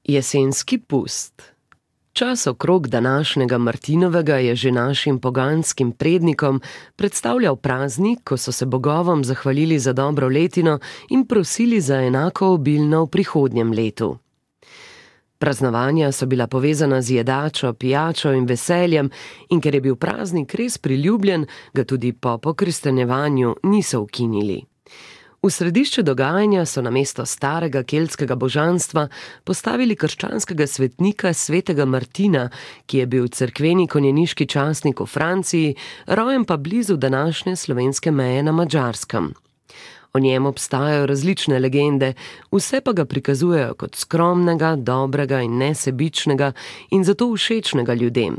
Jesenski pust. Čas okrog današnjega Martinovega je že našim poganskim prednikom predstavljal praznik, ko so se bogovom zahvalili za dobro letino in prosili za enako obilno v prihodnjem letu. Praznovanja so bila povezana z jedačo, pijačo in veseljem, in ker je bil praznik res priljubljen, ga tudi po pokrstenjevanju niso ukinili. V središče dogajanja so namesto starega keltskega božanstva postavili krščanskega svetnika svetega Martina, ki je bil cerkveni konjeniški častnik v Franciji, rojen pa blizu današnje slovenske meje na Madžarskem. O njem obstajajo različne legende, vse pa ga prikazujejo kot skromnega, dobrega in nesebičnega in zato všečnega ljudem.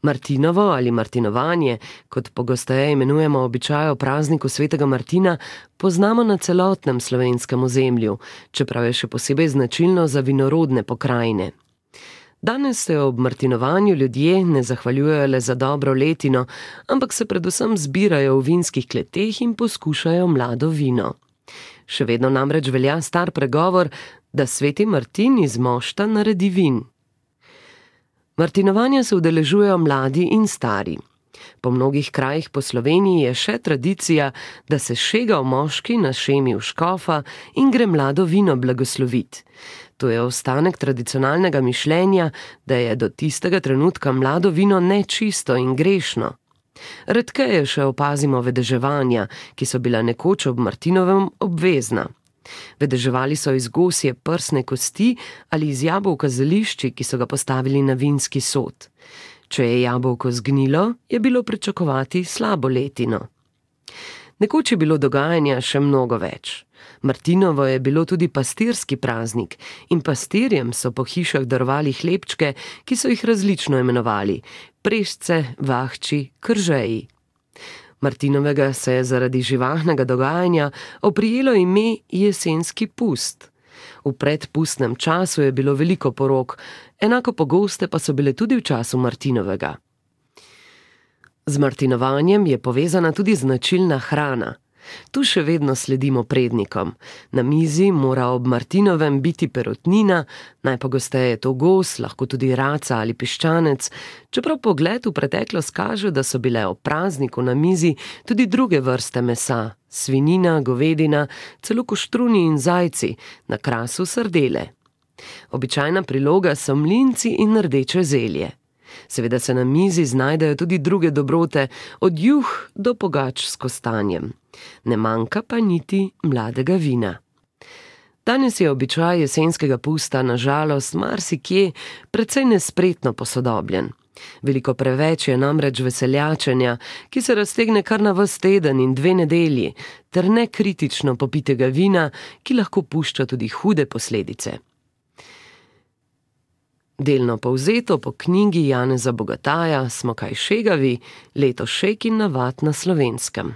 Martinovo ali martinovanje, kot pogosteje imenujemo običaj o prazniku svetega Martina, poznamo na celotnem slovenskem ozemlju, čeprav je še posebej značilno za vinorodne pokrajine. Danes se ob martinovanju ljudje ne zahvaljujejo le za dobro letino, ampak se predvsem zbirajo v vinskih kleteh in poskušajo mlado vino. Še vedno namreč velja star pregovor, da sveti Martin iz mošta naredi vin. Martinovanja se udeležujejo mladi in stari. Po mnogih krajih po Sloveniji je še tradicija, da se šegal moški na šemi v škofa in gre mlado vino blagoslovit. To je ostanek tradicionalnega mišljenja, da je do tistega trenutka mlado vino nečisto in grešno. Redkeje še opazimo vedeževanja, ki so bila nekoč ob Martinovem obvezna. Vedeževali so iz gosje prsne kosti ali iz jabolka z zelišči, ki so ga postavili na vinski sod. Če je jabolko zgnilo, je bilo pričakovati slabo letino. Nekoč je bilo dogajanja še mnogo več. Martinovo je bilo tudi pastirski praznik in pastirjem so po hišah darovali hlebčke, ki so jih različno imenovali: prešce, vahči, kržeji. Martinovega se je zaradi živahnega dogajanja oprijelo ime jesenski pust. V predpustnem času je bilo veliko porok, enako pogoste pa so bile tudi v času Martinovega. Z martinovanjem je povezana tudi značilna hrana. Tu še vedno sledimo prednikom. Na mizi mora ob Martinovem biti perutnina, najpogosteje je to gos, lahko tudi raca ali piščanec, čeprav pogled v preteklost kaže, da so bile ob prazniku na mizi tudi druge vrste mesa, svinjina, govedina, celo koštruni in zajci, na krasu sardele. Običajna priloga so mlinci in rdeče zelje. Seveda se na mizi znajdejo tudi druge dobrote, od juh do pogač s kostanjem. Ne manjka pa niti mladega vina. Danes je običaj jesenskega pusta na žalost marsikje precej nespretno posodobljen. Veliko preveč je namreč veseljačenja, ki se raztegne kar na ves teden in 2 nedelji, ter nekritično popitega vina, ki lahko pušča tudi hude posledice. Delno povzeto po knjigi Janeza Bogataja Smo kaj šegavi, leto šeg in navad na Slovenskem.